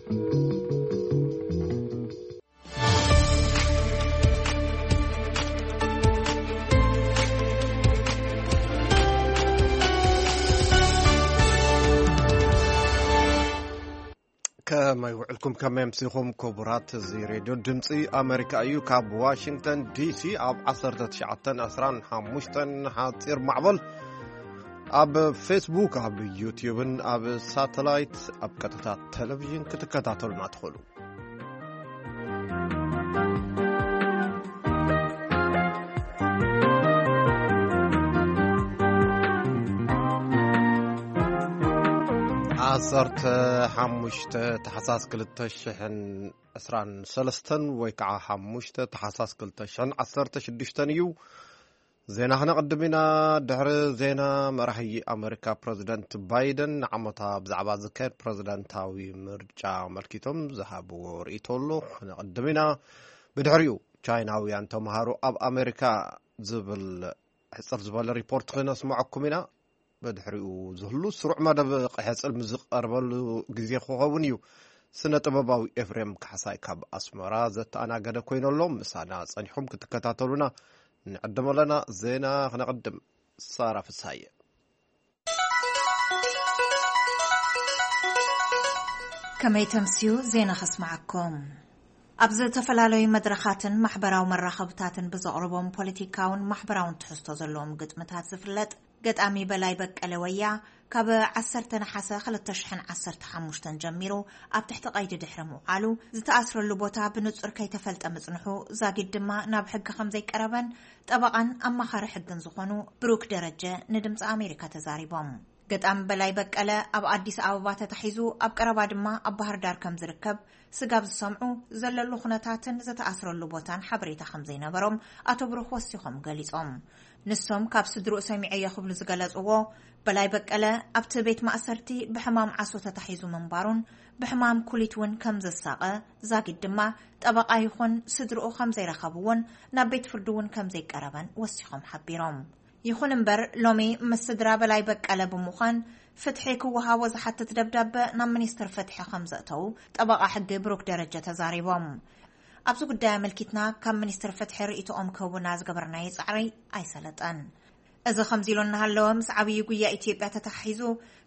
ከመይ ውዕልኩም፣ ከመይ ኣምሲኹም ክቡራት? እዚ ሬድዮ ድምፂ ኣሜሪካ እዩ። ካብ ዋሽንግተን ዲሲ ኣብ ዓሰርተ ትሽዓተን ዕስራን ሓሙሽተን ሓፂር ማዕበል፣ ኣብ ፌስቡክ፣ ኣብ ዩትዩብን ኣብ ሳተላይት ኣብ ቀጥታ ቴሌቪዥን ክትከታተሉና ትኽእሉ። ዓሰርተ ሓሙሽተ ታሕሳስ ክልተ ሽሕን ዕስራን ሰለስተን ወይ ከዓ ሓሙሽተ ታሕሳስ ክልተ ሽሕን ዓሰርተ ሽዱሽተን እዩ። ዜና ክነቕድም ኢና። ድሕሪ ዜና፣ መራሒ ኣመሪካ ፕረዚደንት ባይደን ንዓመታ ብዛዕባ ዝካየድ ፕረዚደንታዊ ምርጫ ኣመልኪቶም ዝሃብዎ ርእይቶ ኣሎ፣ ክነቕድም ኢና። ብድሕሪኡ፣ ቻይናውያን ተምሃሮ ኣብ ኣመሪካ ዝብል ሕጽር ዝበለ ሪፖርት ክነስምዐኩም ኢና። ብድሕሪኡ ዝህሉ ስሩዕ መደብ ቀይሕ ጽልሚ ዝቐርበሉ ግዜ ክኸውን እዩ። ስነ ጥበባዊ ኤፍሬም ካሕሳይ ካብ ኣስመራ ዘተኣናገደ ኮይኑ ኣሎ። ምሳና ጸኒሕኩም ክትከታተሉና ንዕድም ኣለና። ዜና ክነቕድም። ሳራ ፍስሃየ። ከመይ ተምስዩ? ዜና ከስምዓኩም። ኣብ ዝተፈላለዩ መድረኻትን ማሕበራዊ መራኸብታትን ብዘቕርቦም ፖለቲካውን ማሕበራውን ትሕዝቶ ዘለዎም ግጥምታት ዝፍለጥ ገጣሚ በላይ በቀለ ወያ፣ ካብ ዓሰርተ ነሓሰ ክልተ ሽሕን ዓሰርተ ሓሙሽተን ጀሚሩ ኣብ ትሕቲ ቀይዲ ድሕሪ ምውዓሉ፣ ዝተኣስረሉ ቦታ ብንጹር ከይተፈልጠ ምጽንሑ፣ ዛጊድ ድማ ናብ ሕጊ ከም ዘይቀረበን ጠበቓን ኣማኻሪ ሕግን ዝኾኑ ብሩክ ደረጀ ንድምፂ ኣሜሪካ ተዛሪቦም። ገጣሚ በላይ በቀለ ኣብ ኣዲስ ኣበባ ተታሒዙ፣ ኣብ ቀረባ ድማ ኣብ ባህር ዳር ከም ዝርከብ ስጋብ ዝሰምዑ፣ ዘለሉ ኩነታትን ዝተኣስረሉ ቦታን ሓበሬታ ከም ዘይነበሮም ኣቶ ብሩክ ወሲኾም ገሊጾም። ንሶም ካብ ስድርኡ ሰሚዐዮ ክብሉ ዝገለጽዎ በላይ በቀለ፣ ኣብቲ ቤት ማእሰርቲ ብሕማም ዓሶ ተታሒዙ ምንባሩን ብሕማም ኩሊት እውን ከም ዘሳቐ፣ ዛጊድ ድማ ጠበቓ ይኹን ስድርኡ ከም ዘይረኸቡ እውን ናብ ቤት ፍርዲ እውን ከም ዘይቀረበን ወሲኾም ሓቢሮም። ይኹን እምበር፣ ሎሚ ምስ ስድራ በላይ በቀለ ብምዃን ፍትሒ ክወሃቦ ዝሓትት ደብዳበ ናብ ሚኒስትር ፍትሒ ከም ዘእተዉ ጠበቓ ሕጊ ብሩክ ደረጀ ተዛሪቦም። ኣብዚ ጉዳይ ኣመልኪትና ካብ ሚኒስትር ፍትሒ ርእይቶኦም ክህቡና ዝገበርናዮ ጻዕሪ ኣይሰለጠን። እዚ ከምዚ ኢሉ እናሃለወ፣ ምስ ዓብዪ ጉያ ኢትዮጵያ ተተሓሒዙ፣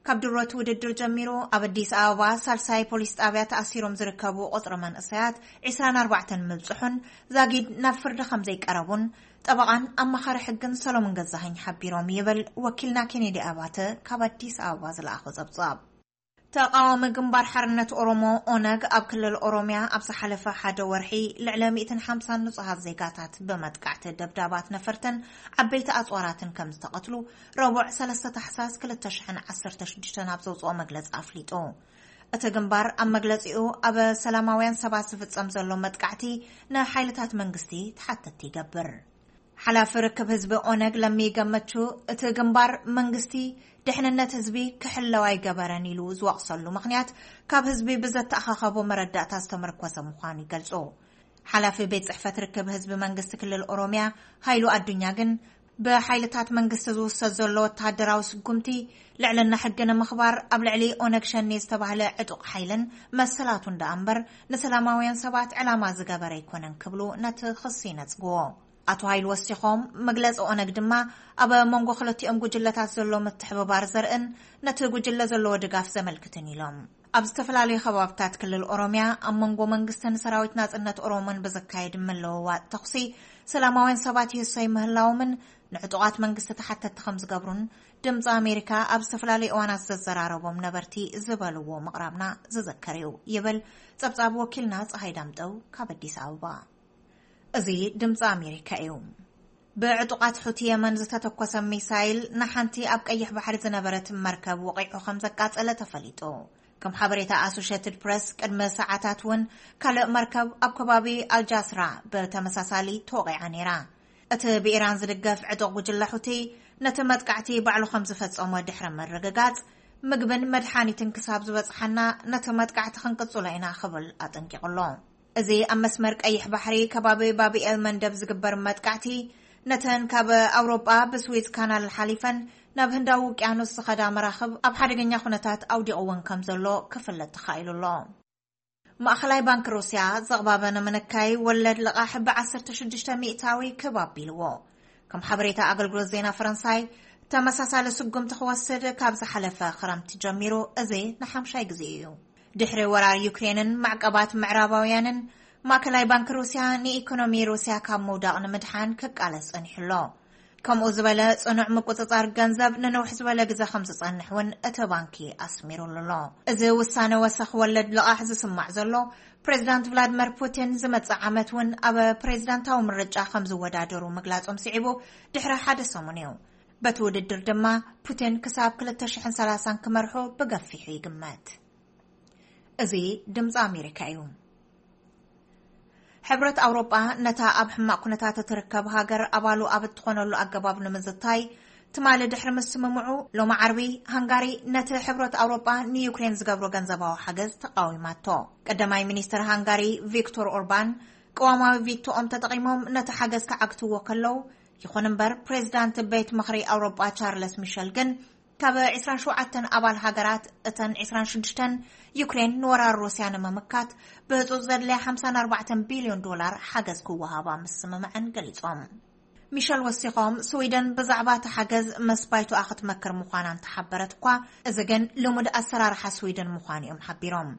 ካብ ድሮት ውድድር ጀሚሩ ኣብ ኣዲስ ኣበባ ሳልሳይ ፖሊስ ጣብያ ተኣሲሮም ዝርከቡ ቁጽሪ መንእሰያት ዒስራን ኣርባዕተን ምብጽሑን ዛጊድ ናብ ፍርዲ ከም ዘይቀረቡን ጠበቓን ኣማኻሪ ሕግን ሰሎሞን ገዛኸኝ ሓቢሮም ይብል ወኪልና ኬኔዲ ኣባተ ካብ ኣዲስ ኣበባ ዝለኣኾ ጸብጻብ። ተቓዋሚ ግንባር ሓርነት ኦሮሞ፣ ኦነግ፣ ኣብ ክልል ኦሮሚያ ኣብ ዝሓለፈ ሓደ ወርሒ ልዕሊ ሚእትን ሓምሳን ንጹሃት ዜጋታት ብመጥቃዕቲ ደብዳባት ነፈርትን ዓበይቲ ኣጽዋራትን ከም ዝተቐትሉ ረቡዕ ሰለስተ ታሕሳስ ክልተ ሽሕን ዓሰርተ ሽዱሽተን ኣብ ዘውጽኦ መግለጺ ኣፍሊጡ። እቲ ግንባር ኣብ መግለጺኡ፣ ኣብ ሰላማውያን ሰባት ዝፍጸም ዘሎ መጥቃዕቲ ንሓይልታት መንግስቲ ተሓተቲ ይገብር። ሓላፊ ርክብ ህዝቢ ኦነግ ለሚ ገመቹ፣ እቲ ግንባር መንግስቲ ድሕንነት ህዝቢ ክሕለው ኣይገበረን ኢሉ ዝወቕሰሉ ምኽንያት፣ ካብ ህዝቢ ብዘተኣኻኸቦ መረዳእታ ዝተመርኮሰ ምዃኑ ይገልጹ። ሓላፊ ቤት ጽሕፈት ርክብ ህዝቢ መንግስቲ ክልል ኦሮሚያ ሃይሉ ኣዱኛ ግን፣ ብሓይልታት መንግስቲ ዝውሰድ ዘሎ ወተሃደራዊ ስጉምቲ፣ ልዕልና ሕጊ ንምኽባር ኣብ ልዕሊ ኦነግ ሸኔ ዝተባህለ ዕጡቕ ሓይልን መሰላቱን ደኣ እምበር፣ ንሰላማውያን ሰባት ዕላማ ዝገበረ ኣይኮነን ክብሉ ነቲ ክሲ ይነጽግዎ። ኣቶ ሃይሉ ወሲኾም፣ መግለጺ ኦነግ ድማ ኣብ መንጎ ክልቲኦም ጉጅለታት ዘሎ ምትሕብባር ዘርእን ነቲ ጉጅለ ዘለዎ ድጋፍ ዘመልክትን ኢሎም። ኣብ ዝተፈላለዩ ከባብታት ክልል ኦሮሚያ ኣብ መንጎ መንግስትን ሰራዊት ናጽነት ኦሮሞን ብዝካየድ ምልውዋጥ ተኹሲ፣ ሰላማውያን ሰባት ይህሰዩ ምህላዎምን ንዕጡቓት መንግስቲ ተሓተቲ ከም ዝገብሩን ድምፂ ኣሜሪካ ኣብ ዝተፈላለዩ እዋናት ዘዘራረቦም ነበርቲ ዝበልዎ ምቕራብና ዝዝከር እዩ፣ ይብል ጸብጻብ ወኪልና ፀሃይ ዳምጠው ካብ ኣዲስ ኣበባ። እዚ ድምፂ ኣሜሪካ እዩ። ብዕጡቓት ሑቲ የመን ዝተተኮሰ ሚሳይል ንሓንቲ ኣብ ቀይሕ ባሕሪ ዝነበረት መርከብ ወቒዑ ከም ዘቃጸለ ተፈሊጡ። ከም ሓበሬታ ኣሶሼትድ ፕረስ፣ ቅድሚ ሰዓታት እውን ካልእ መርከብ ኣብ ከባቢ ኣልጃስራ ብተመሳሳሊ ተወቒዓ ነይራ። እቲ ብኢራን ዝድገፍ ዕጡቕ ጉጅለ ሑቲ ነቲ መጥቃዕቲ ባዕሉ ከም ዝፈጸሞ ድሕሪ ምርግጋጽ፣ ምግብን መድሓኒትን ክሳብ ዝበጽሓና ነቲ መጥቃዕቲ ክንቅጽሎ ኢና ክብል ኣጠንቂቑ ኣሎ። እዚ ኣብ መስመር ቀይሕ ባሕሪ ከባቢ ባብኤል መንደብ ዝግበር መጥቃዕቲ፣ ነተን ካብ ኣውሮጳ ብስዊዝ ካናል ሓሊፈን ናብ ህንዳዊ ውቅያኖስ ዝኸዳ መራኽብ ኣብ ሓደገኛ ኩነታት ኣውዲቕወን ከም ዘሎ ክፍለጥ ተኻኢሉ ኣሎ። ማእኸላይ ባንክ ሩስያ ዘቕባበ ንምንካይ ወለድ ልቓሕ ብ16% ክብ ኣቢልዎ። ከም ሓበሬታ ኣገልግሎት ዜና ፈረንሳይ፣ ተመሳሳሊ ስጉምቲ ክወስድ ካብ ዝሓለፈ ክረምቲ ጀሚሩ እዚ ንሓምሻይ ግዜ እዩ። ድሕሪ ወራር ዩክሬንን ማዕቀባት ምዕራባውያንን፣ ማእከላይ ባንክ ሩስያ ንኢኮኖሚ ሩስያ ካብ ምውዳቕ ንምድሓን ክቃለስ ጸኒሑ ኣሎ። ከምኡ ዝበለ ጽኑዕ ምቁጽጻር ገንዘብ ንነውሕ ዝበለ ግዜ ከም ዝጸንሕ እውን እቲ ባንኪ ኣስሚሩሉ ኣሎ። እዚ ውሳነ ወሰኽ ወለድ ልቓሕ ዝስማዕ ዘሎ፣ ፕሬዚዳንት ቭላድመር ፑቲን ዝመጽእ ዓመት እውን ኣብ ፕሬዚዳንታዊ ምርጫ ከም ዝወዳደሩ ምግላጾም ስዒቡ ድሕሪ ሓደ ሰሙን እዩ። በቲ ውድድር ድማ ፑቲን ክሳብ ክልተ ሽሕን ሰላሳን ክመርሑ ብገፊሑ ይግመት። እዚ ድምፂ ኣሜሪካ እዩ። ሕብረት ኣውሮጳ ነታ ኣብ ሕማቕ ኩነታት እትርከብ ሃገር ኣባሉ ኣብ እትኾነሉ ኣገባብ ንምዝታይ ትማሊ ድሕሪ ምስምምዑ፣ ሎሚ ዓርቢ ሃንጋሪ ነቲ ሕብረት ኣውሮጳ ንዩክሬን ዝገብሮ ገንዘባዊ ሓገዝ ተቃዊማቶ። ቀዳማይ ሚኒስትር ሃንጋሪ ቪክቶር ኦርባን ቅዋማዊ ቪቶኦም ተጠቒሞም ነቲ ሓገዝ ክዓግትዎ ከለዉ፣ ይኹን እምበር ፕሬዚዳንት ቤት ምኽሪ ኣውሮጳ ቻርለስ ሚሸል ግን ካብ ዕስራን ሸውዓተን ኣባል ሃገራት እተን ዕስራን ሽዱሽተን ዩክሬን ንወራር ሩስያ ንምምካት ብህጹጽ ዘድልያ ሓምሳን ኣርባዕተን ቢልዮን ዶላር ሓገዝ ክወሃባ ምስምምዐን ገሊጾም። ሚሸል ወሲኾም፣ ስዊደን ብዛዕባ እቲ ሓገዝ ምስ ባይቶኣ ክትመክር ምዃና እንተሓበረት እኳ፣ እዚ ግን ልሙድ ኣሰራርሓ ስዊደን ምዃኑ እዮም ሓቢሮም።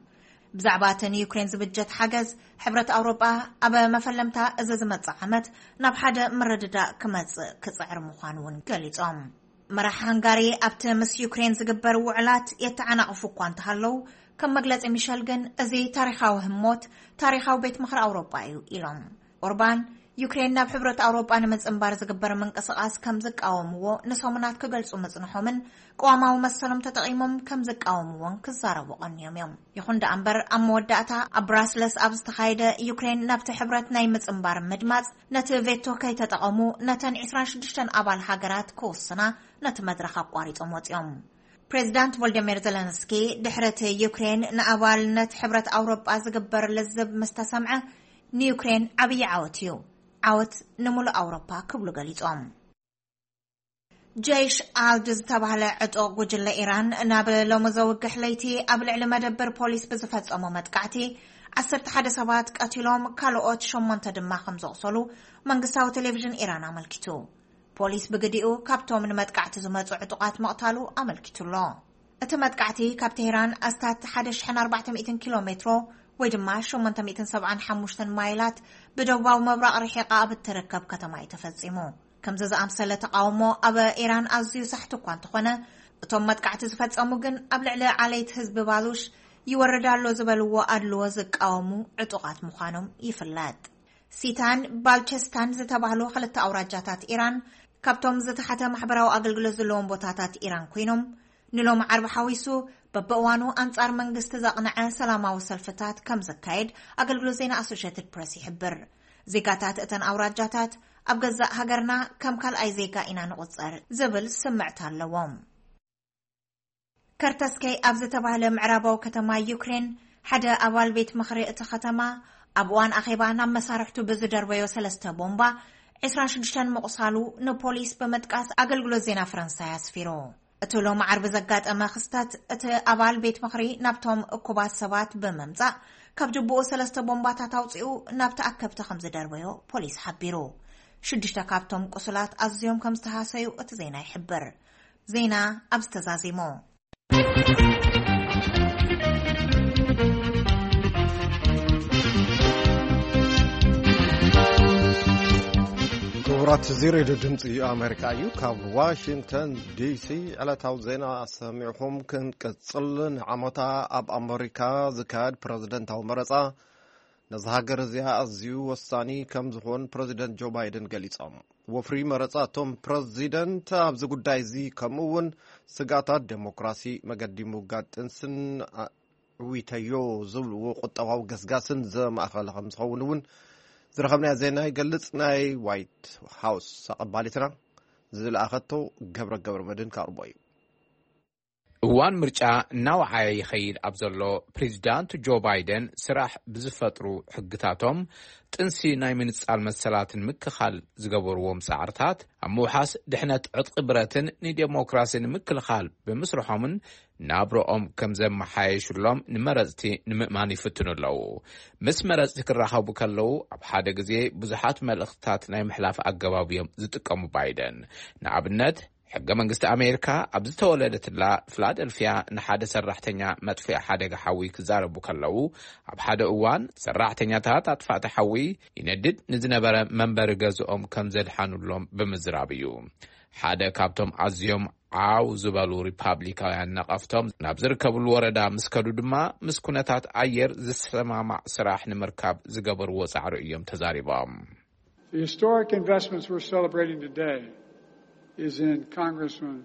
ብዛዕባ እቲ ንዩክሬን ዝብጀት ሓገዝ፣ ሕብረት ኣውሮጳ ኣብ መፈለምታ እዚ ዝመጽእ ዓመት ናብ ሓደ ምርድዳእ ክመጽእ ክጽዕር ምዃኑ እውን ገሊጾም። መራሕ ሃንጋሪ ኣብቲ ምስ ዩክሬን ዝግበር ውዕላት የተዓናቕፉ እኳ እንተሃለዉ፣ ከም መግለጺ ሚሸል ግን እዚ ታሪኻዊ ህሞት ታሪኻዊ ቤት ምኽሪ ኣውሮጳ እዩ ኢሎም። ኦርባን ዩክሬን ናብ ሕብረት ኣውሮጳ ንምጽንባር ዝግበር ምንቅስቓስ ከም ዝቃወምዎ ንሰሙናት ክገልጹ ምጽንሖምን ቅዋማዊ መሰሎም ተጠቒሞም ከም ዝቃወምዎን ክዛረቡ ቀንዮም እዮም። ይኹን ደኣ እምበር ኣብ መወዳእታ ኣብ ብራስለስ ኣብ ዝተኻየደ ዩክሬን ናብቲ ሕብረት ናይ ምጽንባር ምድማጽ ነቲ ቬቶ ከይተጠቐሙ ነተን ዕስራን ሽዱሽተን ኣባል ሃገራት ክውስና ነቲ መድረኽ ኣቋሪጾም ወጺኦም። ፕሬዚዳንት ቮልደሚር ዘለንስኪ ድሕሪ እቲ ዩክሬን ንኣባልነት ሕብረት ኣውሮጳ ዝግበር ልዝብ ምስ ተሰምዐ ንዩክሬን ዓብዪ ዓወት እዩ። ዓወት ንምሉእ ኣውሮጳ ክብሉ ገሊጾም። ጀይሽ ኣልድ ዝተባህለ ዕጡቕ ጉጅለ ኢራን ናብ ሎሚ ዘውግሕ ለይቲ ኣብ ልዕሊ መደብር ፖሊስ ብዝፈጸሞ መጥቃዕቲ ዓሰርተ ሓደ ሰባት ቀቲሎም ካልኦት ሸሞንተ ድማ ከም ዘቑሰሉ መንግስታዊ ቴሌቪዥን ኢራን ኣመልኪቱ። ፖሊስ ብግዲኡ ካብቶም ንመጥቃዕቲ ዝመጹ ዕጡቓት ምቕታሉ ኣመልኪቱ ኣሎ። እቲ መጥቃዕቲ ካብ ቴህራን ኣስታት ሓደ ሽሕን ኣርባዕተ ሚእትን ኪሎ ሜትሮ ወይ ድማ ሸሞንተ ሚእትን ሰብዓን ሓሙሽተን ማይላት ብደቡባዊ ምብራቕ ርሒቓ ኣብ እትርከብ ከተማ እዩ ተፈጺሙ። ከምዚ ዝኣምሰለ ተቓውሞ ኣብ ኢራን ኣዝዩ ሳሕቲ እኳ እንተኾነ፣ እቶም መጥቃዕቲ ዝፈጸሙ ግን ኣብ ልዕሊ ዓለይቲ ህዝቢ ባሉሽ ይወርድ ኣሎ ዝበልዎ ኣድልዎ ዝቃወሙ ዕጡቓት ምዃኖም ይፍለጥ። ሲታን ባልቸስታን ዝተባህሉ ክልተ ኣውራጃታት ኢራን ካብቶም ዝተሓተ ማሕበራዊ ኣገልግሎት ዘለዎም ቦታታት ኢራን ኮይኖም፣ ንሎሚ ዓርቢ ሓዊሱ በብእዋኑ ኣንጻር መንግስቲ ዘቕንዐ ሰላማዊ ሰልፍታት ከም ዘካየድ ኣገልግሎት ዜና ኣሶሼትድ ፕረስ ይሕብር። ዜጋታት እተን ኣውራጃታት ኣብ ገዛእ ሃገርና ከም ካልኣይ ዜጋ ኢና ንቑጸር ዝብል ስምዕታ ኣለዎም። ከርተስከይ ኣብ ዝተባህለ ምዕራባዊ ከተማ ዩክሬን ሓደ ኣባል ቤት ምኽሪ እቲ ከተማ ኣብ እዋን ኣኼባ ናብ መሳርሕቱ ብዝደርበዮ ሰለስተ ቦምባ ዕስራን ሽዱሽተን ምቑሳሉ ንፖሊስ ብምጥቃስ ኣገልግሎት ዜና ፈረንሳይ ኣስፊሩ። እቲ ሎሚ ዓርቢ ዘጋጠመ ክስተት፣ እቲ ኣባል ቤት ምኽሪ ናብቶም እኩባት ሰባት ብምምጻእ ካብ ጅቡኡ ሰለስተ ቦምባታት ኣውጺኡ ናብ ተኣከብቲ ከም ዝደርበዮ ፖሊስ ሓቢሩ። ሽዱሽተ ካብቶም ቁሱላት ኣዝዮም ከም ዝተሃሰዩ እቲ ዜና ይሕብር። ዜና ኣብዚ ተዛዚሙ። ክቡራት፣ እዚ ሬድዮ ድምፂ ኣሜሪካ እዩ። ካብ ዋሽንግተን ዲሲ ዕለታዊ ዜና ሰሚዕኹም ክንቅፅል። ንዓመታ ኣብ ኣሜሪካ ዝካየድ ፕረዚደንታዊ መረፃ ነዛ ሃገር እዚኣ ኣዝዩ ወሳኒ ከም ዝኾን ፕረዚደንት ጆ ባይደን ገሊጾም። ወፍሪ መረጻ እቶም ፕረዚደንት ኣብዚ ጉዳይ እዚ ከምኡ እውን ስጋታት ዴሞክራሲ፣ መገዲ ምውጋድ ጥንስን አ-፣ ዕዊተዮ ዝብልዎ ቁጠባዊ ገስጋስን ዘማእኸለ ከም ዝኸውን እውን ዝረኸብናዮ ዜና ይገልጽ። ናይ ዋይት ሃውስ ኣቐባሊትና ዝለኣኸቶ ገብረ ገብረ መድህን ከቕርቦ እዩ። እዋን ምርጫ እናወዓየ ይኸይድ ኣብ ዘሎ፣ ፕሬዚዳንት ጆ ባይደን ስራሕ ብዝፈጥሩ ሕግታቶም ጥንሲ ናይ ምንጻል መሰላትን ምክኻል ዝገበርዎም ጻዕርታት ኣብ ምውሓስ ድሕነት ዕጥቂ ብረትን ንዴሞክራሲ ንምክልኻል ብምስርሖምን ናብረኦም ከም ዘመሓየሽሎም ንመረጽቲ ንምእማን ይፍትኑ ኣለዉ። ምስ መረጽቲ ክራኸቡ ከለዉ ኣብ ሓደ ግዜ ብዙሓት መልእኽትታት ናይ ምሕላፍ ኣገባብ እዮም ዝጥቀሙ ባይደን። ንኣብነት ሕገ መንግስቲ ኣሜሪካ ኣብ ዝተወለደትላ ፊላደልፊያ ንሓደ ሰራሕተኛ መጥፍኢ ሓደጋ ሓዊ ክዛረቡ ከለዉ፣ ኣብ ሓደ እዋን ሰራሕተኛታት ኣጥፋእቲ ሓዊ ይነድድ ንዝነበረ መንበሪ ገዝኦም ከም ዘድሓኑሎም ብምዝራብ እዩ። ሓደ ካብቶም ኣዝዮም ዓው ዝበሉ ሪፓብሊካውያን ነቐፍቶም ናብ ዝርከብሉ ወረዳ ምስ ከዱ ድማ፣ ምስ ኩነታት ኣየር ዝሰማማዕ ስራሕ ንምርካብ ዝገበርዎ ጻዕሪ እዮም ተዛሪቦም። The historic investments we're celebrating today is in Congressman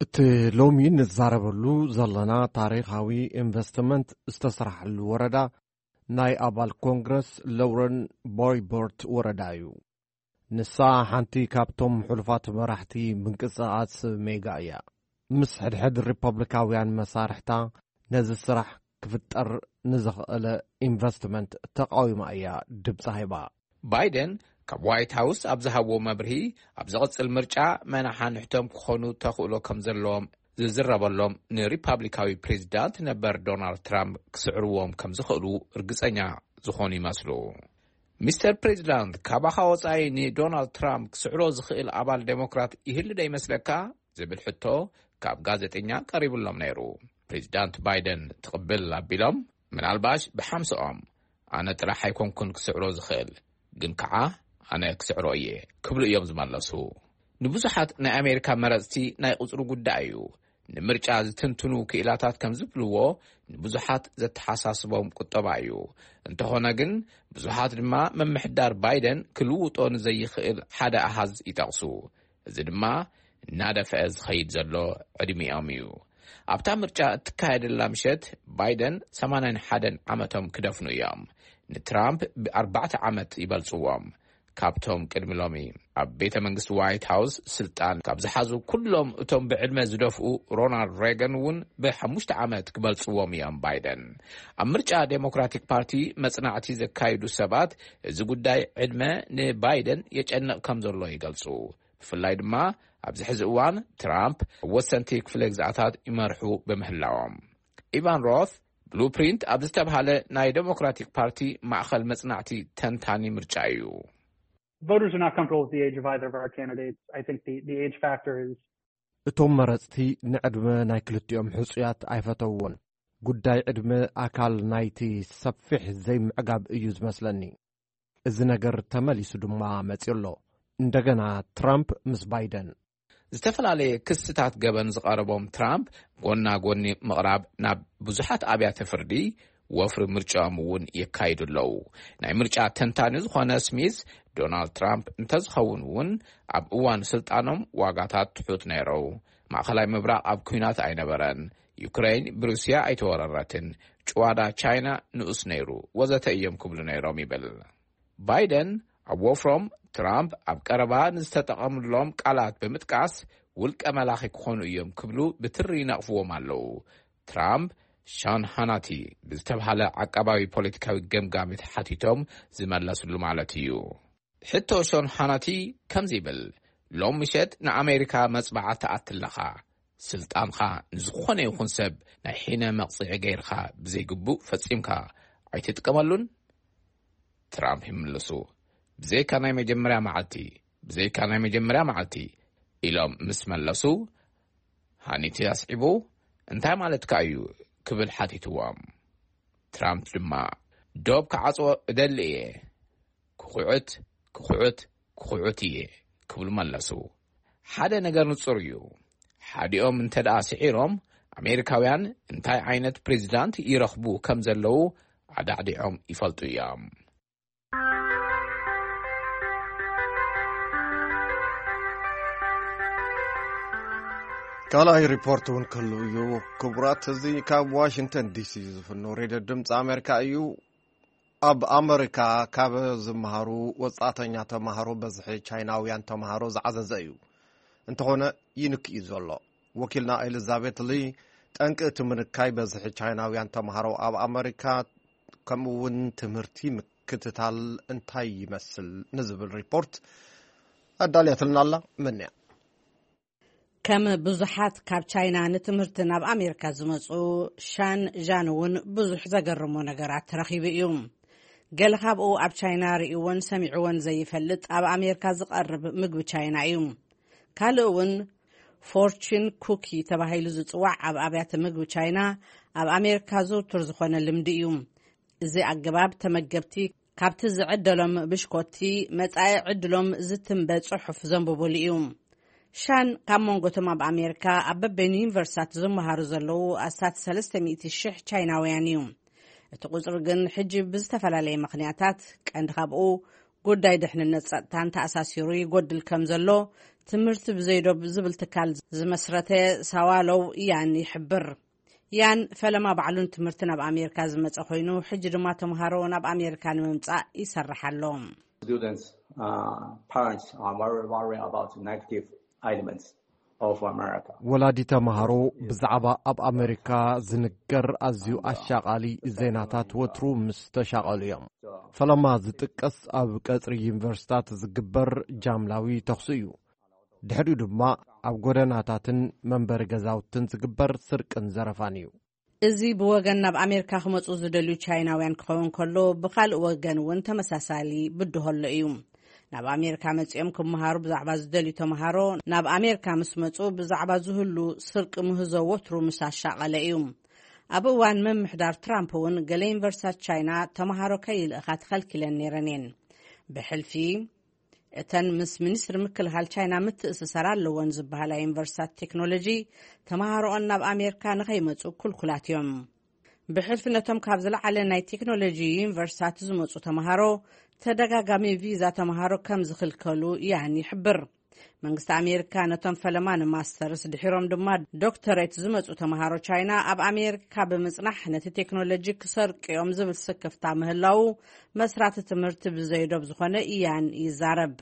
እቲ ሎሚ ንዛረበሉ ዘለና ታሪኻዊ ኢንቨስትመንት ዝተስራሓሉ ወረዳ ናይ ኣባል ኮንግረስ ሎረን ቦይቦርት ወረዳ እዩ። ንሳ ሓንቲ ካብቶም ሕሉፋት መራሕቲ ምንቅስቓስ ሜጋ እያ። ምስ ሕድሕድ ሪፐብሊካውያን መሳርሕታ ነዚ ስራሕ ክፍጠር ንዝኽእለ ኢንቨስትመንት ተቃዊማ እያ ድምጻ ሂባ። ባይደን ካብ ዋይት ሃውስ ኣብ ዝሃብዎ መብርሂ፣ ኣብ ዝቕጽል ምርጫ መናሓንሕቶም ክኾኑ ተኽእሎ ከም ዘለዎም ዝዝረበሎም ንሪፓብሊካዊ ፕሬዚዳንት ነበር ዶናልድ ትራምፕ ክስዕርዎም ከም ዝኽእሉ እርግጸኛ ዝኾኑ ይመስሉ። ሚስተር ፕሬዚዳንት፣ ካባኻ ወጻኢ ንዶናልድ ትራምፕ ክስዕሮ ዝኽእል ኣባል ዴሞክራት ይህሉ ዶ ይመስለካ? ዝብል ሕቶ ካብ ጋዜጠኛ ቀሪብሎም ነይሩ። ፕሬዚዳንት ባይደን ትቕብል ኣቢሎም፣ ምናልባሽ ብሓምስኦም፣ ኣነ ጥራሕ ኣይኮንኩን ክስዕሮ ዝኽእል፣ ግን ከዓ ኣነ ክስዕሮ እየ ክብሉ እዮም ዝመለሱ። ንብዙሓት ናይ ኣሜሪካ መረጽቲ ናይ ቁጽሪ ጉዳይ እዩ። ንምርጫ ዝትንትኑ ክኢላታት ከም ዝብልዎ፣ ንብዙሓት ዘተሓሳስቦም ቁጠባ እዩ። እንተኾነ ግን፣ ብዙሓት ድማ ምምሕዳር ባይደን ክልውጦ ንዘይኽእል ሓደ ኣሃዝ ይጠቕሱ። እዚ ድማ እናደፍአ ዝኸይድ ዘሎ ዕድሚኦም እዩ። ኣብታ ምርጫ እትካየደላ ምሸት፣ ባይደን ሰማንያን ሓደን ዓመቶም ክደፍኑ እዮም። ንትራምፕ ብኣርባዕተ ዓመት ይበልጽዎም። ካብቶም ቅድሚ ሎሚ ኣብ ቤተ መንግስቲ ዋይት ሃውስ ስልጣን ካብ ዝሓዙ ኩሎም እቶም ብዕድመ ዝደፍኡ፣ ሮናልድ ሬገን እውን ብሓሙሽተ ዓመት ክበልጽዎም እዮም ባይደን። ኣብ ምርጫ ዴሞክራቲክ ፓርቲ መጽናዕቲ ዘካይዱ ሰባት፣ እዚ ጉዳይ ዕድመ ንባይደን የጨንቕ ከም ዘሎ ይገልጹ። ብፍላይ ድማ ኣብዚ ሕዚ እዋን ትራምፕ ኣብ ወሰንቲ ክፍለ ግዝኣታት ይመርሑ ብምህላዎም። ኢቫን ሮት ብሉፕሪንት ኣብ ዝተብሃለ ናይ ዴሞክራቲክ ፓርቲ ማእኸል መጽናዕቲ ተንታኒ ምርጫ እዩ። Voters are not comfortable with the age of either of our candidates. I think the, the age factor is እቶም መረጽቲ ንዕድመ ናይ ክልቲኦም ሕጹያት ኣይፈተውዎን። ጉዳይ ዕድመ ኣካል ናይቲ ሰፊሕ ዘይምዕጋብ እዩ ዝመስለኒ። እዚ ነገር ተመሊሱ ድማ መጺኡ ኣሎ። እንደገና ትራምፕ ምስ ባይደን። ዝተፈላለየ ክስታት ገበን ዝቐረቦም ትራምፕ ጎና ጎኒ ምቕራብ ናብ ብዙሓት ኣብያተ ፍርዲ ወፍሪ ምርጫኦም እውን የካይዱ ኣለዉ። ናይ ምርጫ ተንታኒ ዝኾነ ስሚዝ፣ ዶናልድ ትራምፕ እንተዝኸውን እውን ኣብ እዋን ስልጣኖም ዋጋታት ትሑት ነይረው። ማእኸላይ ምብራቕ ኣብ ኲናት ኣይነበረን። ዩክረይን ብሩስያ ኣይተወረረትን። ጭዋዳ ቻይና ንኡስ ነይሩ፣ ወዘተ እዮም ክብሉ ነይሮም ይብል። ባይደን ኣብ ወፍሮም፣ ትራምፕ ኣብ ቀረባ ንዝተጠቐምሎም ቃላት ብምጥቃስ፣ ውልቀ መላኺ ክኾኑ እዮም ክብሉ ብትሪ ይነቕፍዎም ኣለዉ። ትራምፕ ሻን ሃናቲ ብዝተብሃለ ዓቃባዊ ፖለቲካዊ ገምጋሚ ተሓቲቶም ዝመለስሉ ማለት እዩ። ሕቶ ሾን ሃናቲ ከምዚ ይብል፣ ሎም ምሸት ንኣሜሪካ መጽባዓ ትኣቲ ኣለኻ። ስልጣንኻ ንዝኾነ ይኹን ሰብ ናይ ሒነ መቕጽዒ ገይርኻ ብዘይግቡእ ፈጺምካ ኣይትጥቀመሉን? ትራምፕ ይምልሱ፣ ብዘይካ ናይ መጀመርያ መዓልቲ፣ ብዘይካ ናይ መጀመርያ መዓልቲ ኢሎም ምስ መለሱ፣ ሃኒቲ ኣስዒቡ፣ እንታይ ማለትካ እዩ ክብል ሓቲትዎም። ትራምፕ ድማ፣ ዶብ ክዓጽዎ እደሊ እየ፣ ክኹዕት ክኹዕት ክኹዕት እየ ክብሉ መለሱ። ሓደ ነገር ንጹር እዩ። ሓዲኦም እንተ ደኣ ስዒሮም፣ ኣሜሪካውያን እንታይ ዓይነት ፕሬዚዳንት ይረኽቡ ከም ዘለዉ ኣዳዕዲዖም ይፈልጡ እዮም። ካልኣይ ሪፖርት እውን ክህሉ እዩ። ክቡራት፣ እዚ ካብ ዋሽንግተን ዲሲ ዝፍኖ ሬድዮ ድምፂ ኣሜሪካ እዩ። ኣብ ኣመሪካ ካብ ዝመሃሩ ወጻእተኛ ተማሃሮ በዝሒ ቻይናውያን ተማሃሮ ዝዓዘዘ እዩ። እንተኾነ ይንክእ እዩ ዘሎ። ወኪልና ኤሊዛቤት ሊ፣ ጠንቂ እቲ ምንካይ በዝሒ ቻይናውያን ተምሃሮ ኣብ ኣመሪካ፣ ከምኡ እውን ትምህርቲ ምክትታል እንታይ ይመስል ንዝብል ሪፖርት ኣዳልያትልና ኣላ። መን እያ? ከም ብዙሓት ካብ ቻይና ንትምህርቲ ናብ ኣሜሪካ ዝመጹ፣ ሻን ዣን እውን ብዙሕ ዘገርሞ ነገራት ረኺቡ እዩ። ገለ ካብኡ ኣብ ቻይና ርእይዎን ሰሚዕዎን ዘይፈልጥ ኣብ ኣሜሪካ ዝቐርብ ምግቢ ቻይና እዩ። ካልእ እውን ፎርቹን ኩኪ ተባሂሉ ዝጽዋዕ ኣብ ኣብያተ ምግቢ ቻይና ኣብ ኣሜሪካ ዝውቱር ዝኾነ ልምዲ እዩ። እዚ ኣገባብ ተመገብቲ ካብቲ ዝዕደሎም ብሽኮቲ መጻኢ ዕድሎም ዝትንበ ጽሑፍ ዘንብቡሉ እዩ። ሻን ካብ መንጎቶም ኣብ ኣሜሪካ ኣብ በበይኑ ዩኒቨርሲታት ዝመሃሩ ዘለዉ ኣስታት ሰለስተ ሚእቲ ሽሕ ቻይናውያን እዩ። እቲ ቁጽሪ ግን ሕጂ ብዝተፈላለየ ምኽንያታት፣ ቀንዲ ካብኡ ጉዳይ ድሕንነት ጸጥታን ተኣሳሲሩ ይጎድል ከም ዘሎ፣ ትምህርቲ ብዘይዶብ ዝብል ትካል ዝመስረተ ሳዋሎው ያን ይሕብር። ያን ፈለማ ባዕሉን ትምህርቲ ናብ ኣሜሪካ ዝመጸ ኮይኑ፣ ሕጂ ድማ ተምሃሮ ናብ ኣሜሪካ ንምምጻእ ይሰርሕ ኣሎ። Students, uh, parents are very worried about negative elements of America. ወላዲ ተምሃሮ ብዛዕባ ኣብ ኣሜሪካ ዝንገር ኣዝዩ ኣሻቓሊ ዜናታት ወትሩ ምስ ተሻቐሉ እዮም። ፈለማ ዝጥቀስ ኣብ ቀጽሪ ዩኒቨርሲታት ዝግበር ጃምላዊ ተኽሲ እዩ። ድሕሪኡ ድማ ኣብ ጎደናታትን መንበሪ ገዛውትን ዝግበር ስርቅን ዘረፋን እዩ። እዚ ብወገን ናብ ኣሜሪካ ክመጹ ዝደልዩ ቻይናውያን ክኸውን ከሎ፣ ብኻልእ ወገን እውን ተመሳሳሊ ብድሆ ኣሎ እዩ። ናብ ኣሜሪካ መጺኦም ክመሃሩ ብዛዕባ ዝደልዩ ተምሃሮ፣ ናብ ኣሜሪካ ምስ መጹ ብዛዕባ ዝህሉ ስርቂ ምህዞ ወትሩ ምስ ኣሻቐለ እዩ። ኣብ እዋን ምምሕዳር ትራምፕ እውን ገለ ዩኒቨርሲታት ቻይና ተምሃሮ ከይልእኻ ተኸልኪለን ነይረን እየን። ብሕልፊ እተን ምስ ሚኒስትሪ ምክልኻል ቻይና ምትእስሳር ኣለወን ዝበሃላ ዩኒቨርሲታት ቴክኖሎጂ፣ ተምሃሮኦን ናብ ኣሜሪካ ንኸይመጹ ኩልኩላት እዮም። ብሕልፊ ነቶም ካብ ዝለዓለ ናይ ቴክኖሎጂ ዩኒቨርሲታት ዝመጹ ተምሃሮ፣ ተደጋጋሚ ቪዛ ተምሃሮ ከም ዝኽልከሉ ያን ይሕብር። መንግስቲ ኣሜሪካ ነቶም ፈለማ ንማስተርስ ድሒሮም ድማ ዶክተሬት ዝመጹ ተምሃሮ ቻይና ኣብ ኣሜሪካ ብምጽናሕ ነቲ ቴክኖሎጂ ክሰርቅዮም ዝብል ስክፍታ ምህላዉ መስራቲ ትምህርቲ ብዘይዶብ ዝኾነ ኢያን ይዛረብ።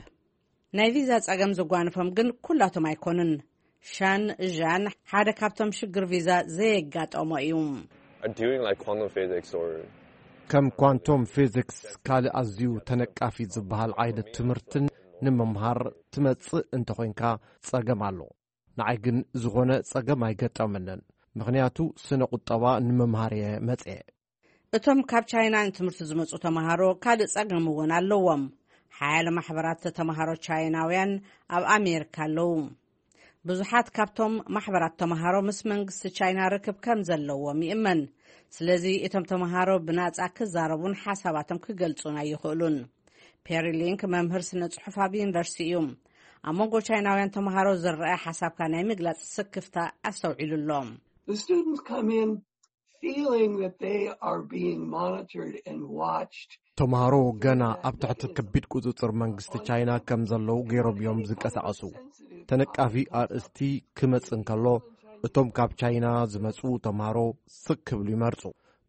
ናይ ቪዛ ጸገም ዝጓንፎም ግን ኩላቶም ኣይኮኑን። ሻን ዣን ሓደ ካብቶም ሽግር ቪዛ ዘየጋጠሞ እዩ። Are doing like quantum physics or ከም ኳንቶም ፊዚክስ ካልእ ኣዝዩ ተነቃፊ ዝበሃል ዓይነት ትምህርትን ንምምሃር ትመጽእ እንተኾይንካ ጸገም ኣሎ። ንዓይ ግን ዝኾነ ጸገም ኣይገጠመንን፣ ምኽንያቱ ስነ ቁጠባ ንምምሃር እየ መጽየ። እቶም ካብ ቻይና ንትምህርቲ ዝመጹ ተምሃሮ ካልእ ጸገም እውን ኣለዎም። ሓያለ ማሕበራት ተምሃሮ ቻይናውያን ኣብ ኣሜሪካ ኣለዉ። ብዙሓት ካብቶም ማሕበራት ተምሃሮ ምስ መንግስቲ ቻይና ርክብ ከም ዘለዎም ይእመን። ስለዚ እቶም ተምሃሮ ብናጻ ክዛረቡን ሓሳባቶም ክገልጹን ኣይኽእሉን። ፔሪ ሊንክ መምህር ስነ ጽሑፍ ኣብ ዩኒቨርሲቲ እዩ። ኣብ መንጎ ቻይናውያን ተምሃሮ ዝረኣ ሓሳብካ ናይ ምግላጽ ስክፍታ ኣስተውዒሉ ኣሎ። The students come in feeling that they are being monitored and watched. ተምሃሮ ገና ኣብ ትሕቲ ከቢድ ቁጽጽር መንግስቲ ቻይና ከም ዘለዉ ገይሮም እዮም ዝንቀሳቐሱ። ተነቃፊ ኣርእስቲ ክመጽእ እንከሎ፣ እቶም ካብ ቻይና ዝመጹ ተምሃሮ ስቕ ክብሉ ይመርጹ፣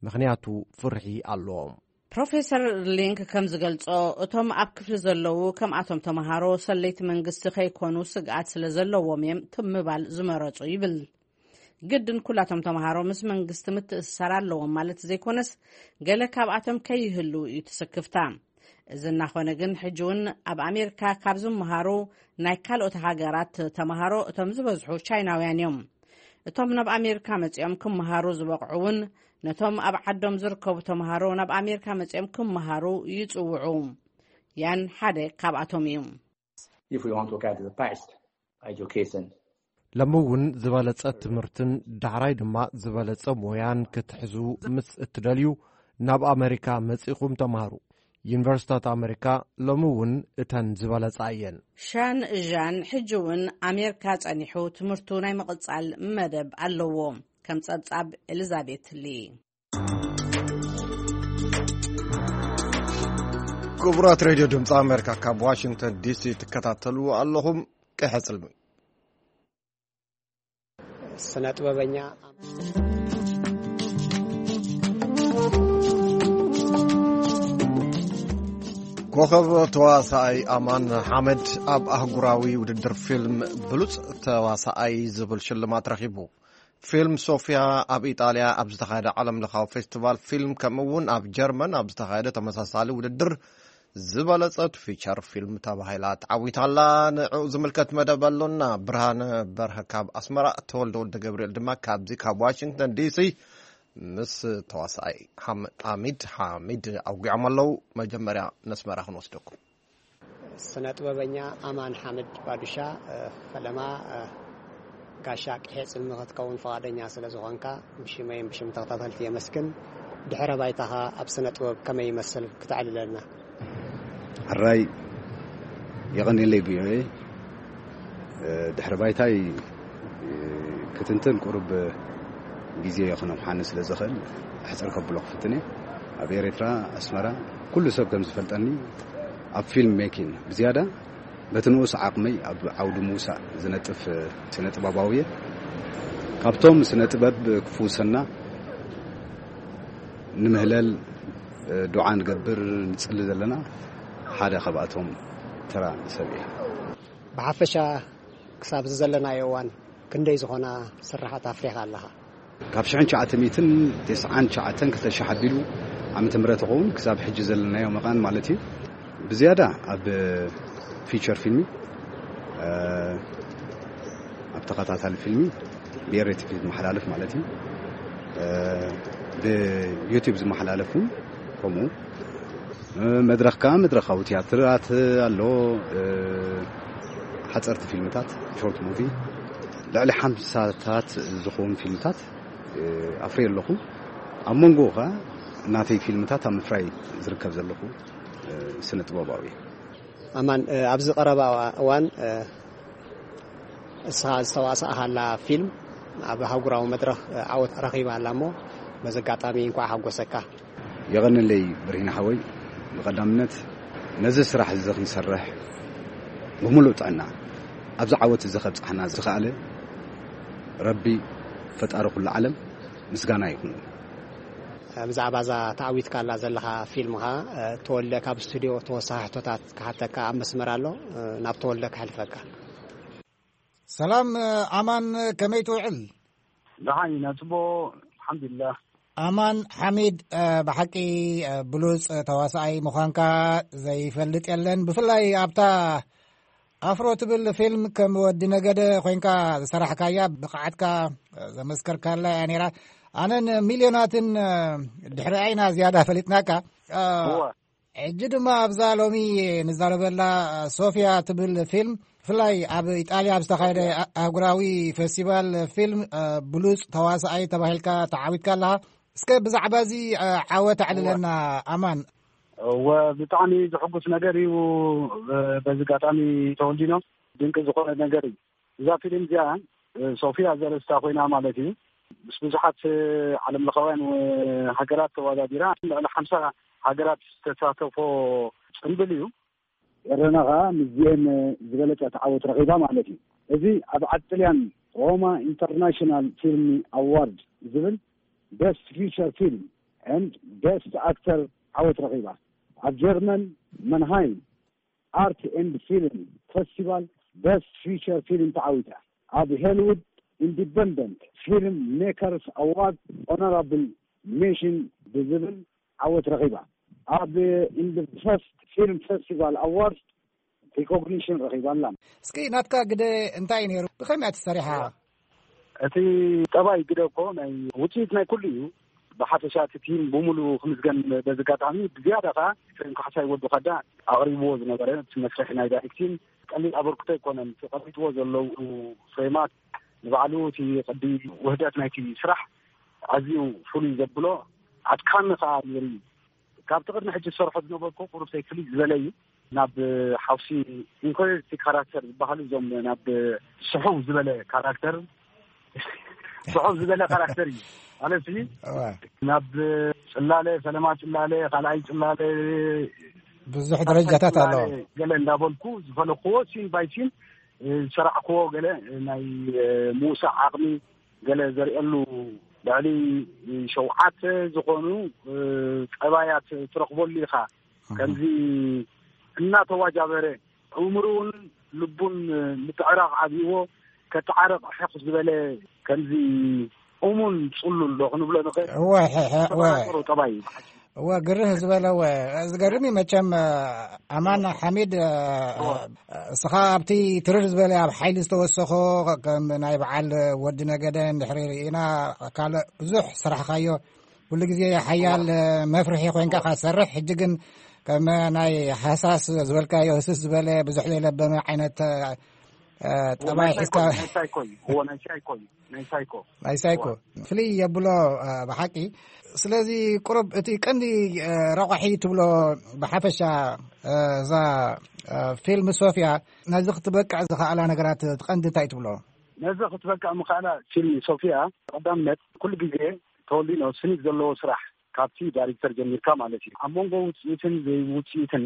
ምኽንያቱ ፍርሒ ኣለዎም። ፕሮፌሰር ሊንክ ከም ዝገልጾ፣ እቶም ኣብ ክፍሊ ዘለዉ ከምኣቶም ተምሃሮ ሰለይቲ መንግስቲ ከይኮኑ ስግኣት ስለ ዘለዎም እዮም ትም ምባል ዝመረጹ ይብል። ግድን ኩላቶም ተምሃሮ ምስ መንግስቲ ምትእስሳር ኣለዎም ማለት ዘይኮነስ፣ ገለ ካብኣቶም ከይህልዉ እዩ ትስክፍታ። እዚ እናኾነ ግን፣ ሕጂ እውን ኣብ ኣሜሪካ ካብ ዝመሃሩ ናይ ካልኦት ሃገራት ተምሃሮ እቶም ዝበዝሑ ቻይናውያን እዮም። እቶም ናብ ኣሜሪካ መጺኦም ክመሃሩ ዝበቕዑ እውን፣ ነቶም ኣብ ዓዶም ዝርከቡ ተምሃሮ ናብ ኣሜሪካ መጺኦም ክመሃሩ ይጽውዑ። ያን ሓደ ካብኣቶም እዩ። If we want to get the best education, ሎሚ እውን ዝበለጸ ትምህርትን ዳሕራይ ድማ ዝበለጸ ሞያን ክትሕዙ ምስ እትደልዩ፣ ናብ ኣመሪካ መጺኹም ተምሃሩ። ዩኒቨርሲታት ኣመሪካ ሎሚ እውን እተን ዝበለጻ እየን። ሻን ዣን ሕጂ እውን ኣሜሪካ ጸኒሑ ትምህርቱ ናይ ምቕጻል መደብ ኣለዎ። ከም ጸብጻብ ኤሊዛቤት ሊ። ክቡራት ሬድዮ ድምፂ ኣሜሪካ ካብ ዋሽንግተን ዲሲ ትከታተሉ ኣለኹም። ቀይሐ ጽልሚ። ስነ ጥበበኛ። ኮኸብ ተዋሳኣይ ኣማን ሓመድ ኣብ ኣህጉራዊ ውድድር ፊልም ብሉጽ ተዋሳኣይ ዝብል ሽልማት ረኺቡ። ፊልም ሶፊያ ኣብ ኢጣልያ ኣብ ዝተኻየደ ዓለም ለኻዊ ፌስቲቫል ፊልም፣ ከምኡ እውን ኣብ ጀርመን ኣብ ዝተኻየደ ተመሳሳሊ ውድድር ዝበለጸት ፊቸር ፊልም ተባሂላ ተዓዊታላ። ንዕኡ ዝምልከት መደብ ኣሎና። ብርሃነ በርሀ ካብ ኣስመራ፣ ተወልደ ወልደ ገብርኤል ድማ ካብዚ ካብ ዋሽንግተን ዲሲ ምስ ተዋሳኣይ ሓም-፣ ኣሚድ ሓሚድ ኣውጊዖም ኣለዉ። መጀመርያ ነስመራ ክንወስደኩም። ስነ ጥበበኛ ኣማን ሓምድ ባዱሻ፣ እ፣ ፈለማ፣ እ፣ ጋሻ ቅሔ ጽልሚ ክትከውን ፍቓደኛ ስለ ዝኾንካ፣ ብሽመይን ብሽም ተኸታተልቲ የመስግን። ድሕረ ባይታኻ ኣብ ስነ ጥበብ ከመይ ይመስል ክተዕልለና? ሕራይ፣ የቐንየለይ ቪኦኤ። እ፣ ድሕሪ ባይታይ፣ እ፣ ክትንትን ቁሩብ ግዜ ክነውሓኒ ስለ ዝኽእል፣ ሕጽር ከብሎ ክፍትን እየ። ኣብ ኤርትራ፣ ኣስመራ፣ ኩሉ ሰብ ከም ዝፈልጠኒ፣ ኣብ ፊልም ሜኪን ብዝያዳ በቲ ንኡስ ዓቕመይ ኣብ ዓውዲ ምውሳእ ዝነጥፍ ስነ ጥበባዊ እየ። ካብቶም ስነ ጥበብ ክፍውሰና ንምህለል፣ እ፣ ዱዓ ንገብር፣ ንጽሊ ዘለና ሓደ ካብኣቶም ተራ ሰብ እየ። ብሓፈሻ ክሳብ እዚ ዘለናዮ እዋን ክንደይ ዝኾና ስራሓት ኣፍሪኻ ኣለኻ? ካብ ሽሕን ትሽዓተ ሚእትን ተስዓን ትሽዓተን ክልተ ሺሕ ኣቢሉ ዓመተ ምህረት ይኸውን ክሳብ ሕጂ ዘለናዮ መቓን ማለት እዩ። ብዝያዳ ኣብ ፊቸር ፊልሚ፣ እ፣ ኣብ ተኸታታሊ ፊልሚ፣ ብኤሬቲቪ ዝመሓላለፍ ማለት እዩ። እ፣ ብዩቲዩብ ዝመሓላለፍ እውን ከምኡ። እ፣ መድረኽ ከኣ መድረኻዊ ትያትራት ኣሎ፣ እ፣ ሓጸርቲ ፊልምታት፣ ሾርት ሙቪ፣ ልዕሊ ሓምሳታት ዝኸውን ፊልምታት፣ እ፣ ኣፍርየ ኣለኹ። ኣብ መንጎኡ ከኣ ናተይ ፊልምታት ኣብ ምፍራይ ዝርከብ ዘለኹ፣ እ፣ ስነ ጥበባዊ እየ። ኣማን፣ እ፣ ኣብዚ ቀረባ እዋን፣ እ፣ እስኻ ዝተዋሳእካላ ፊልም ኣብ ኣህጉራዊ መድረኽ፣ እ፣ ዓወት ረኺባ ኣላ እሞ፣ በዚ ኣጋጣሚ እንኳዕ ሓጎሰካ። የቐንለይ ብርሂን ሓወይ፣ ብቐዳምነት ነዚ ስራሕ እዚ ክንሰርሕ ብምሉእ ጥዕና ኣብዚ ዓወት እዚ ከብጽሓና ዝኸኣለ ረቢ ፈጣሪ ኩሉ ዓለም ምስጋና ይኹን። ብዛዕባ እዛ ተዓዊትካላ ዘለኻ ፊልምኻ፣ እ፣ ተወልደ ካብ ስቱድዮ ተወሳኺ ሕቶታት ክሓተካ ኣብ መስመር ኣሎ፣ እ፣ ናብ ተወልደ ከሕልፈካ። ሰላም፣ እ፣ ኣማን፣ ከመይ ትውዕል? ደሓን ኢና፣ ጽቡቕ፣ ኣልሓምዱሊላህ። ኣማን ሓሚድ፣ እ፣ ብሓቂ፣ እ፣ ብሉጽ ተዋሳኣይ ምዃንካ ዘይፈልጥ የለን። ብፍላይ ኣብታ ኣፍሮ ትብል ፊልም ከም ወዲ ነገደ ኮይንካ ዝሰራሕካያ ብቕዓትካ ዘመስከርካላ እያ ነይራ። ኣነን ሚልዮናትን፣ እ፣ ድሕሪኣ ኢና ዝያዳ ፈሊጥናካ። እ፣ እወ። ሕጂ ድማ ኣብዛ ሎሚ ንዛረበላ ሶፊያ ትብል ፊልም፣ ብፍላይ ኣብ ኢጣልያ ኣብ ዝተኻየደ ኣህጉራዊ ፌስቲቫል ፊልም፣ እ፣ ብሉጽ ተዋሳኣይ ተባሂልካ ተዓዊትካ ኣለኻ። እስከ ብዛዕባ እዚ፣ እ፣ ዓወት ኣዕልለና ኣማን። እወ፣ ብጣዕሚ ዘሐጉስ ነገር እዩ። እ፣ በዚ ኣጋጣሚ ተወልዲኖ ድንቂ ዝኾነ ነገር እዩ። እዛ ፊልም እዚኣ፣ እ፣ ሶፊያ ዘርእስታ ኮይና ማለት እዩ። ምስ ብዙሓት፣ እ፣ ዓለም ለኻውያን፣ እ፣ ሃገራት ተወዳዲራ፣ ልዕሊ ሓምሳ ሃገራት ዝተሳተፎ ጽምብል እዩ። ኤረና ኸኣ ምስዚኤን ዝበለጸ ተዓወት ረኺባ ማለት እዩ። እዚ ኣብ ዓዲ ጥልያን ሮማ ኢንተርናሽናል ፊልም ኣዋርድ ዝብል ቤስት ፊቸር ፊልም ኤንድ ቤስት ኣክተር ዓወት ረኺባ። ኣብ ጀርመን መንሃይም ኣርት ኤንድ ፊልም ፈስቲቫል ቤስት ፊቸር ፊልም ተዓዊታ። ኣብ ሆሊውድ ኢንዲፐንደንት ፊልም ሜከርስ ኣዋርድ ኦነራብል ሜንሽን ብዝብል ዓወት ረኺባ። ኣብ ኢንዲ ፈስት ፊልም ፈስቲቫል ኣዋርድ ሪኮግኒሽን ረኺባ ኣላ። እስኪ ናትካ ግደ እንታይ እዩ ነይሩ? ብኸመይ እያ ተሰሪሓ? እቲ ጠባይ ግደ እኮ ናይ ውፅኢት ናይ ኩሉ እዩ። ብሓፈሻ እቲ ቲም ብምሉኡ ክምስገን በዚ ኣጋጣሚ፣ ብዝያዳ ከዓ ኤፍሬም ካሕሳይ ወዲ ኻዳ ኣቕሪብዎ ዝነበረ እቲ መስርሕ ናይ ዳይሬክቲንግ ቀሊል ኣበርክቶ ኣይኮነን። እቲ ቀሪብዎ ዘለዉ ፍሬማት ንባዕሉ እቲ ቅዲ ውህደት ናይቲ ስራሕ ኣዝዩ ፍሉይ ዘብሎ ኣድካሚ ከዓ ነይሩ እዩ። ካብቲ ቅድሚ ሕጂ ዝሰርሖ ዝነበርኩ ቁሩብ ፍልይ ዝበለ እዩ። ናብ ሓውሲ ኢንፌሪዮሪቲ ካራክተር ዝበሃሉ እዞም ናብ ስሑው ዝበለ ካራክተር፣ ስሑው ዝበለ ካራክተር እዩ ማለት እዩ። እዋ። ናብ ጽላለ፣ ፈለማ ጽላለ፣ ካልኣይ ጽላለ፣ ብዙሕ ደረጃታት ኣለዎ። ገለ እንዳበልኩ ዝፈለክዎ ሲን ባይ ሲን ዝሰራዕክዎ ገለ ናይ ምውሳእ ዓቕሚ ገለ ዘርእየሉ ልዕሊ ሸውዓተ ዝኾኑ ጠባያት ትረኽበሉ ኢኻ። ከምዚ እናተዋጃበረ፣ እምርኡን ልቡን ምትዕራቕ ኣብይዎ፣ ከተዓረቕ ሕቕ ዝበለ፣ ከምዚ እሙን ጽሉል ዶ ክንብሎ ንኽእል? እወ፣ ሕሕ፣ እወ። ተፈጣጥሮ ጠባይ እዩ። እወ፣ ግርህ ዝበለ፣ እወ። ዝገርም እዩ መቸም። ኣማን ሓሚድ፣ እስኻ ኣብቲ ትርር ዝበለ ኣብ ሓይሊ ዝተወሰኾ፣ ከም ናይ በዓል ወዲ ነገደ እንድሕሪ ርኢና፣ ካልእ ብዙሕ ስራሕካዮ፣ ኩሉ ግዜ ሓያል መፍርሒ ኮይንካ ኢኻ ትሰርሕ። ሕጂ ግን ከም ናይ ሃሳስ ዝበልካዮ፣ ህስስ ዝበለ፣ ብዙሕ ዘይለበመ ዓይነት፣ እ፣ ጠባይ ናይ ሳይኮ፣ ሒዝካ ናይ ሳይኮ እዩ። እዎ፣ ናይ ሳይኮ እዩ። ናይ ሳይኮ። ናይ ሳይኮ። እዎ። ፍልይ የብሎ፣ እ፣ ብሓቂ። ስለዚ ቁሩብ እቲ ቀንዲ፣ እ፣ ረቋሒ ትብሎ ብሓፈሻ፣ እ፣ እዛ፣ እ፣ ፊልም ሶፍያ ነዚ ክትበቅዕ ዝኸኣላ ነገራት እቲ ቀንዲ እንታይ ትብሎ? ነዚ ክትበቅዕ ምኽኣላ ፊልም ሶፍያ ቀዳምነት ኩሉ ግዜ ተወሊኖ ስኒት ዘለዎ ስራሕ ካብቲ ዳይሬክተር ጀሚርካ ማለት እዩ። ኣብ መንጎ ውፅኢትን ዘይውፅኢትን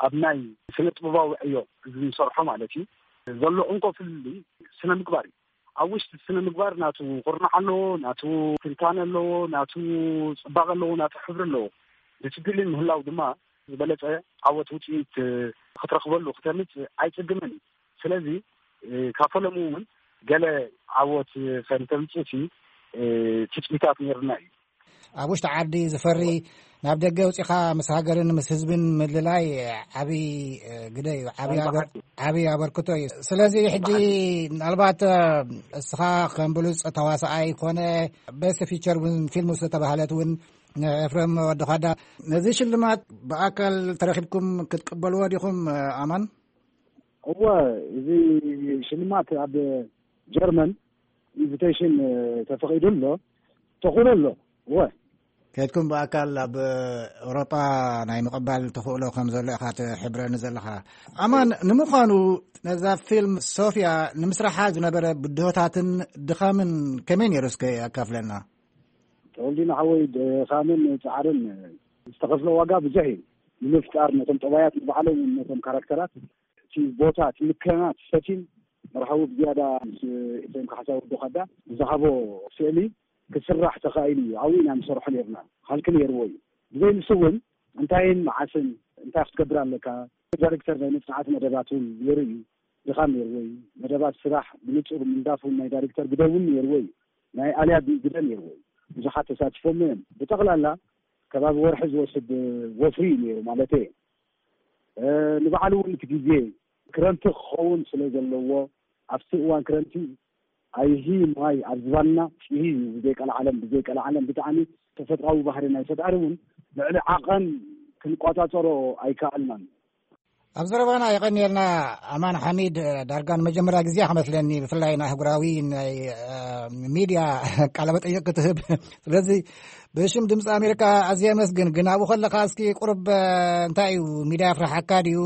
ኣብ ናይ ስነ ጥበባዊ ዕዮ እዚ ንሰርሖ ማለት እዩ ዘሎ እንኮ ፍልልይ ስነ ምግባር እዩ። ኣብ ውሽጢ ስነ ምግባር ናቱ ኩርናዕ ኣለዎ፣ ናቱ ትንታነ ኣለዎ፣ ናቱ ፅባቐ ኣለዎ፣ ናቱ ሕብሪ ኣለዎ። ብትድሊ ምህላው ድማ ዝበለፀ ዓወት ውፅኢት ክትረኽበሉ ክተምፅእ ኣይፅግምን እዩ። ስለዚ ካብ ፈለሙ እውን ገለ ዓወት ከንተምፅእ ትፅቢታት ነይርና እዩ። ኣብ ውሽጢ ዓዲ ዝፈሪ፣ ናብ ደገ ውፂኻ ምስ ሃገርን ምስ ህዝብን ምልላይ ዓብዪ፣ እ፣ ግደ እዩ፣ ዓብዪ ኣበር-፣ ዓብዪ ኣበርክቶ እዩ። ስለዚ ሕጂ ምናልባት፣ እ፣ እስኻ ከም ብሉፅ ተዋሳኣይ ኮነ ቤስት ፊቸር እውን ፊልም ዝተባህለት እውን ንኤፍሬም ወዲ ኻዳ፣ ነዚ ሽልማት ብኣካል ተረኺብኩም ክትቅበልዎ ዲኹም፣ እ፣ ኣማን? እወ፣ እዚ ሽልማት ኣብ ጀርመን ኢንቪቴሽን፣ እ፣ ተፈቒዱ ኣሎ፣ ተኽእሎ ኣሎ። እወ። ከድኩም ብኣካል ኣብ ኤውሮጳ ናይ ምቕባል ተኽእሎ ከም ዘሎ ኢኻ ትሕብረኒ ዘለኻ። ኣማን፣ ንምዃኑ ነዛ ፊልም ሶፍያ ንምስራሓ ዝነበረ ብድሆታትን ድኻምን ከመይ ነይሩ እስከ ኣካፍለና? ተወልዲና ሓወይ፣ ድኻምን ጻዕርን ዝተኸፍለ ዋጋ ብዙሕ እዩ። ንምፍጣር ነቶም ጠባያት ንባዕሎም ነቶም ካራክተራት እቲ ቦታ፣ እቲ ምክንያት፣ ሰቲን መርሃዊ ብዝያዳ ምስ ኤፍሬም ካሕሳ ወዲ ኻዳ ብዝሃቦ ስእሊ ክስራሕ ተኻኢሉ እዩ። ኣብኡ ኢና ንሰርሖ ነርና። ሃልኪ ነይርዎ እዩ። ብዘይ ንሱ እውን እንታይን መዓስን እንታይ ክትገብር ኣለካ? ዳይሬክተር ናይ መጽናዕቲ መደባት እውን ነይሩ እዩ። ድኻም ነይርዎ እዩ። መደባት ስራሕ ብንጹር ምንዳፍ እውን ናይ ዳይሬክተር ግደ እውን ነይርዎ እዩ። ናይ ኣልያ ግደ ነይርዎ እዩ። ብዙሓት ተሳቲፎም እዮም። ብጠቕላላ ከባቢ ወርሒ ዝወስድ ወፍሪ እዩ ነይሩ ማለት እየ። እ፣ ንባዕሉ እውን እቲ ግዜ ክረምቲ ክኸውን ስለ ዘለዎ፣ ኣብቲ እዋን ክረምቲ ኣይሂ ማይ ኣብ ዝባንና ፂሂ እዩ። ብዘይቀልዓለም፣ ብዘይቀልዓለም ብጣዕሚ ተፈጥራዊ ባህሪ ናይ ፈጣሪ እውን ልዕሊ ዓቐን ክንቆፃፀሮ ኣይከኣልናን። ኣብ ዘረባና የቐንየልና ኣማን ሓሚድ። ዳርጋ ንመጀመርያ ግዜ ክመስለኒ ብፍላይ ናይ ኣህጉራዊ ናይ፣ እ፣ ሚድያ ቃለ መጠይቕ ክትህብ። ስለዚ ብሽም ድምፂ ኣሜሪካ ኣዝየ ኣመስግን። ግን ኣብኡ ከለኻ እስኪ ቁርብ፣ እ፣ እንታይ እዩ ሚድያ የፍርሓካ ድዩ?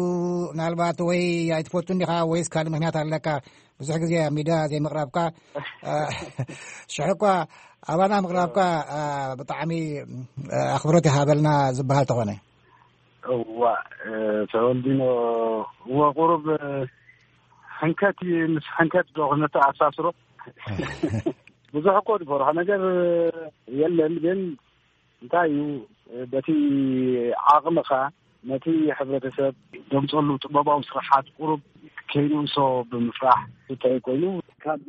ምናልባት ወይ ኣይትፈቱን ዲኻ ወይስ ካልእ ምክንያት ኣለካ? ብዙሕ ግዜ ኣብ ሚድያ ዘይምቕራብካ፣ እ፣ ሽሕ እኳ ኣባና ምቕራብካ፣ እ፣ ብጣዕሚ፣ እ፣ ኣኽብሮት ይሃበልና ዝበሃል ተኾነ። እዋ፣ እ፣ ተወልዲኖ፣ እወ፣ ቁሩብ፣ እ፣ ሕንከት እዩ። ምስ ሕንከት ዶ ክነተኣሳስሮ? ብዙሕ እኮ ዝፈርሖ ነገር የለን፣ ግን እንታይ እዩ፣ በቲ ዓቕምኻ ነቲ ሕብረተሰብ ደምፀሉ ጥበባዊ ስራሓት ቁሩብ ከይንእሶ ብምፍራሕ እንታይ ኮይኑ። ካብ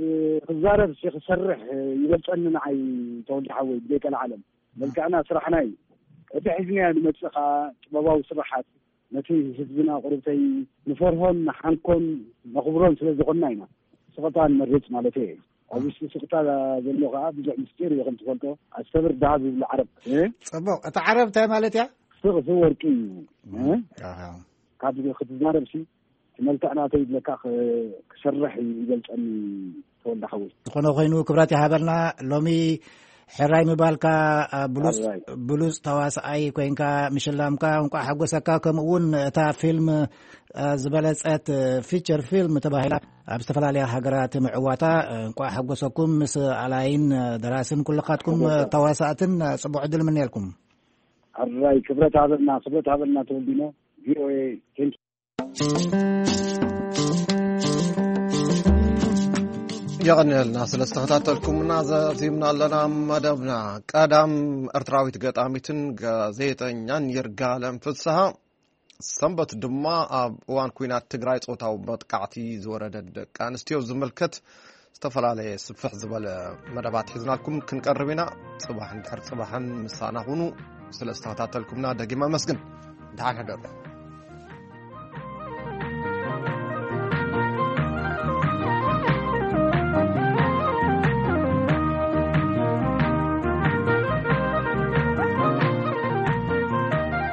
ክዛረብ ሲ ክሰርሕ ይበልፀኒ ንዓይ ተወልደ ሓወይ፣ ብዘይ ቀልዓለም። መልክዕና ስራሕና እዩ። እቲ ሒዝናዮ ንመፅእ ከዓ ጥበባዊ ስራሓት ነቲ ህዝብና ቁሩብተይ ንፈርሆን ንሓንኮን ነኽብሮን ስለ ዝኾንና ኢና ስቕታ ንመርፅ ማለት እየ። ኣብ ውሽጢ ስቕታ ዘሎ ከዓ ብዙሕ ምስጢር እዩ ከም ትፈልጦ። ኣስተብር ደሃብ ይብሉ ዓረብ። እ? ፅቡቕ። እቲ ዓረብ እንታይ ማለት እያ? ስቕ ስቕ ወርቂ እዩ። እ? ኣሃ። ካብ ክትዛረብ ሲ እቲ መልክዕ ናተይ ይብለካ ክ-፣ ክሰርሕ ይበልፀኒ ተወልደ ሓወይ። ዝኾነ ኮይኑ ክብረት ይሃበልና። ሎሚ ሕራይ ምባልካ፣ አ፣ ብሉፅ፣ ሕራይ። ብሉፅ ተዋስኣይ ኮይንካ ምሽላምካ እንቋዕ ሓጎሰካ። ከምኡ እውን እታ ፊልም፣ አ፣ ዝበለፀት፣ አ፣ ፊቸር ፊልም ተባሂላ ኣብ ዝተፈላለያ ሃገራት ምዕዋታ፣ አ፣ እንቋዕ ሓጎሰኩም። ምስ ኣላይን፣ አ፣ ደራስን ኩልኻትኩም፣ አ፣ ሓጎሰ። ተዋሳእትን፣ አ፣ ፅቡቕ ዕድል ምንየልኩም። ሕራይ ክብረት ሃበልና፣ ክብረት ሃበልና ተወልዲኖ። ቪ ኦ ኤ፣ ቴንክ የቐንየልና ስለ ዝተኸታተልኩምና። ዘዚምና ኣለና መደብና። ቀዳም ኤርትራዊት ገጣሚትን ጋዜጠኛን ይርጋለም ፍስሃ ሰንበት ድማ ኣብ እዋን ኩናት ትግራይ ጾታዊ መጥቃዕቲ ዝወረደ ደቂ ኣንስትዮ ዝምልከት ዝተፈላለየ ስፍሕ ዝበለ መደባት ሒዝናልኩም ክንቀርብ ኢና። ጽባሕ እንድሕር ጽባሕን ምሳና ሁኑ። ስለ ዝተኸታተልኩምና ደጊም ኣመስግን። ደሓን ሕደሩ።